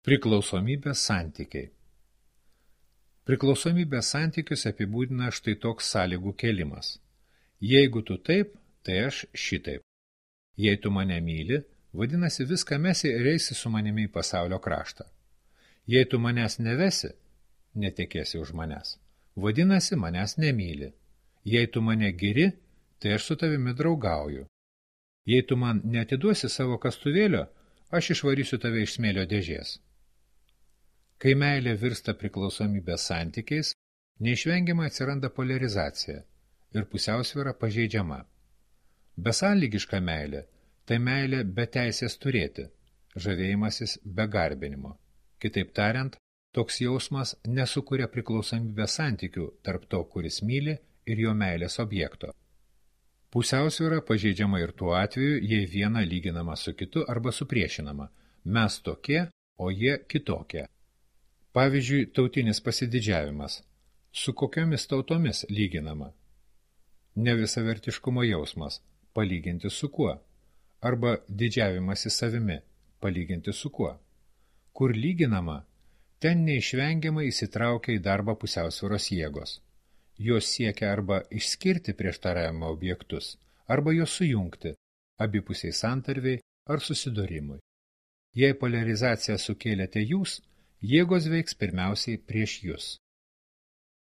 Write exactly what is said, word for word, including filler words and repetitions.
Priklausomybės santykiai. Priklausomybės santykius apibūdina štai toks sąlygų kėlimas. Jeigu tu taip, tai aš šitaip. Jei tu mane myli, vadinasi viską mesi ir eisi su manimi į pasaulio kraštą. Jei tu manęs nevesi, netekėsi už manęs, vadinasi manęs nemyli. Jei tu mane giri, tai aš su tavimi draugauju. Jei tu man neatiduosi savo kastuvėlio, aš išvarysiu tave iš smėlio dėžės. Kai meilė virsta priklausomybės santykiais, neišvengiamai atsiranda poliarizacija ir pusiausvyra pažeidžiama. Besąlygiška meilė – tai meilė be teisės turėti, žavėjimasis be garbinimo. Kitaip tariant, toks jausmas nesukuria priklausomybės santykių tarp to, kuris myli, ir jo meilės objekto. Pusiausvyra pažeidžiama ir tuo atveju, jei viena lyginama su kitu arba supriešinama. Mes tokie, o jie kitokie. Pavyzdžiui, tautinis pasididžiavimas. Su kokiomis tautomis lyginama? Nevisavertiškumo jausmas. Palyginti su kuo? Arba didžiavimasi savimi. Palyginti su kuo? Kur lyginama? Ten neišvengiamai įsitraukia į darbą pusiausvyros jėgos. Jos siekia arba išskirti prieštaravimo objektus, arba juos sujungti, abipusiai santarviai ar susidūrimui. Jei poliarizaciją sukėlėte jūs, jėgos veiks pirmiausiai prieš jus.